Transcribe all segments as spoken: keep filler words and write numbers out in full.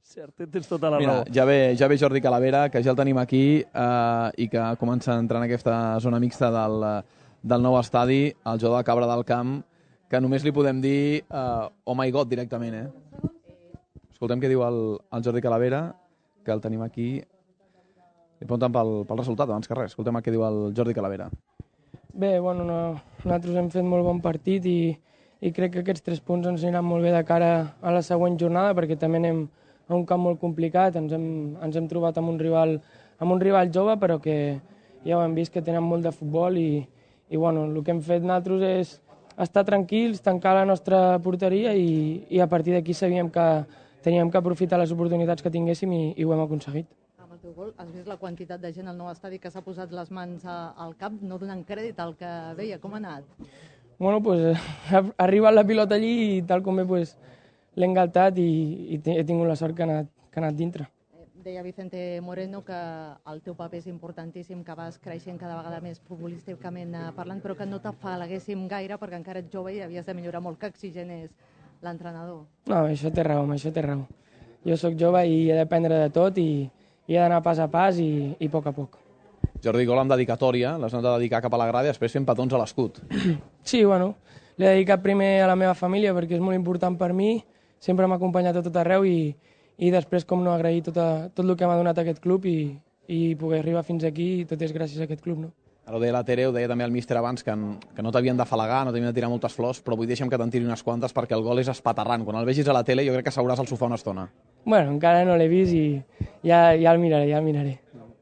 Cert, tens tota la Mira, raó. ja ve, ja ve Jordi Calavera, que ja el tenim aquí eh, i que comença a entrar en aquesta zona mixta del, del nou estadi, el jugador de Cabra del Camp, que només li podem dir eh, oh my god directament, eh? Escoltem què diu el, el Jordi Calavera, que el tenim aquí. Li pregunten pel, pel resultat, abans que res. Escoltem el que diu el Jordi Calavera. Bé, bueno, no, nosaltres hem fet molt bon partit i, i crec que aquests tres punts ens aniran molt bé de cara a la següent jornada, perquè també anem a un camp molt complicat, ens hem, ens hem trobat amb un rival, amb un rival jove, però que ja ho hem vist que tenen molt de futbol i, i bueno, el que hem fet nosaltres és estar tranquils, tancar la nostra porteria i, i a partir d'aquí sabíem que teníem que aprofitar les oportunitats que tinguéssim i, i ho hem aconseguit. Amb el teu gol has vist la quantitat de gent al nou estadi que s'ha posat les mans a, al cap, no donant crèdit al que veia. Com ha anat? Bueno, pues ha arribat la pilota allí i tal com bé pues, l'he engaltat i, i he tingut la sort que ha anat, que ha anat dintre. Deia Vicente Moreno que el teu paper és importantíssim, que vas creixent cada vegada més futbolísticament parlant, però que no t'afalaguéssim gaire perquè encara ets jove i havies de millorar molt, que exigent és l'entrenador. No, això té raó, això té raó. Jo sóc jove i he d'aprendre de tot i, i he d'anar pas a pas i, i a poc a poc. Jordi, gol amb dedicatòria, l'has anat a dedicar cap a la grada i després fent petons a l'escut. Sí, bueno, l'he dedicat primer a la meva família perquè és molt important per mi, sempre m'ha acompanyat a tot arreu i, i després, com no, agrair tot, a, tot el que m'ha donat aquest club i, i poder arribar fins aquí i tot és gràcies a aquest club, no? Ara ho deia la Tere, ho deia també el míster abans, que, que no t'havien d'afalagar, no t'havien de tirar moltes flors, però vull deixa'm que te'n tiri unes quantes perquè el gol és espaterrant. Quan el vegis a la tele jo crec que seuràs al sofà una estona. Bueno, encara no l'he vist i ja, ja el miraré, ja el miraré.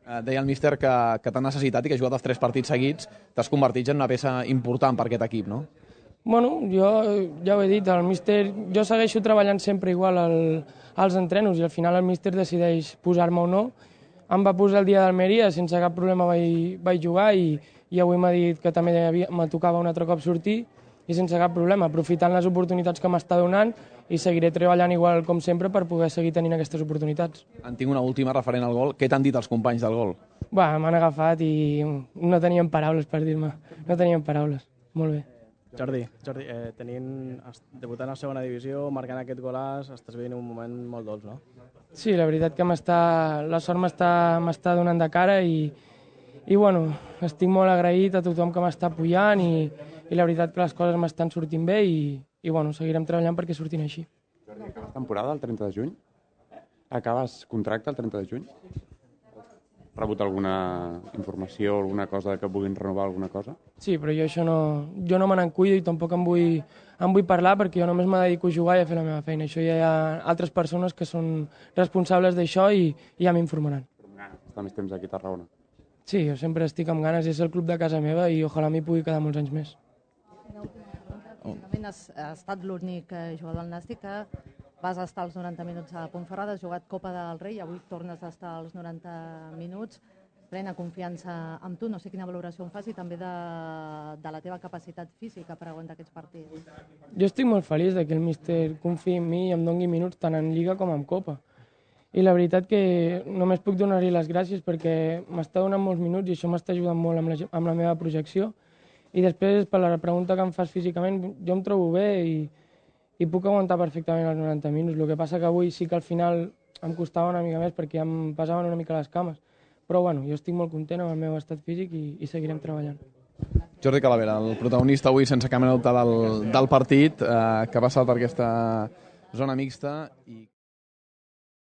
Eh, deia el míster que, que t'ha necessitat i que has jugat els tres partits seguits, t'has convertit en una peça important per aquest equip, no? Bueno, jo ja ho he dit, el míster, jo segueixo treballant sempre igual al, als entrenos i al final el míster decideix posar-me o no. Em va posar el dia d'Almeria, sense cap problema vaig, vaig jugar i, i avui m'ha dit que també me tocava un altre cop sortir i sense cap problema, aprofitant les oportunitats que m'està donant i seguiré treballant igual com sempre per poder seguir tenint aquestes oportunitats. En tinc una última referent al gol. Què t'han dit els companys del gol? Bah, m'han agafat i no tenien paraules per dir-me, no tenien paraules. Molt bé. Jordi, Jordi eh, tenint, debutant a segona divisió, marcant aquest golàs, estàs vivint un moment molt dolç, no? Sí, la veritat que m'està, la sort m'està donant de cara i, i bueno, estic molt agraït a tothom que m'està apoyant i, i la veritat que les coses m'estan sortint bé i, i bueno, seguirem treballant perquè surtin així. Jordi, acabes temporada el trenta de juny? Acabes contracte el trenta de juny? Has rebut alguna informació, alguna cosa que puguin renovar alguna cosa? Sí, però jo això no, jo no me n'en cuido i tampoc em vull, em vull parlar perquè jo només me dedico a jugar i a fer la meva feina. Això ja hi ha altres persones que són responsables d'això i, i ja m'informaran. Però amb ganes d'estar més temps aquí a Tarragona. Sí, jo sempre estic amb ganes, és el club de casa meva i ojalà m'hi pugui quedar molts anys més. Finalment has, has estat l'únic jugador del Nàstic que vas estar els noranta minuts a Pontferrada, has jugat Copa del Rei, avui tornes a estar els noranta minuts, plena confiança amb tu, no sé quina valoració en fas i també de, de la teva capacitat física per aguantar aquests partits. Jo estic molt feliç de que el míster confiï en mi i em doni minuts tant en Lliga com en Copa. I la veritat que només puc donar-li les gràcies perquè m'està donant molts minuts i això m'està ajudant molt amb la, amb la meva projecció. I després, per la pregunta que em fas físicament, jo em trobo bé i, i puc aguantar perfectament els noranta minuts. El que passa que avui sí que al final em costava una mica més perquè em passaven una mica les cames. Però bueno, jo estic molt content amb el meu estat físic i, i seguirem treballant. Jordi Calavera, el protagonista avui sense cap mena de dubte del, del partit, eh, que ha passat per aquesta zona mixta i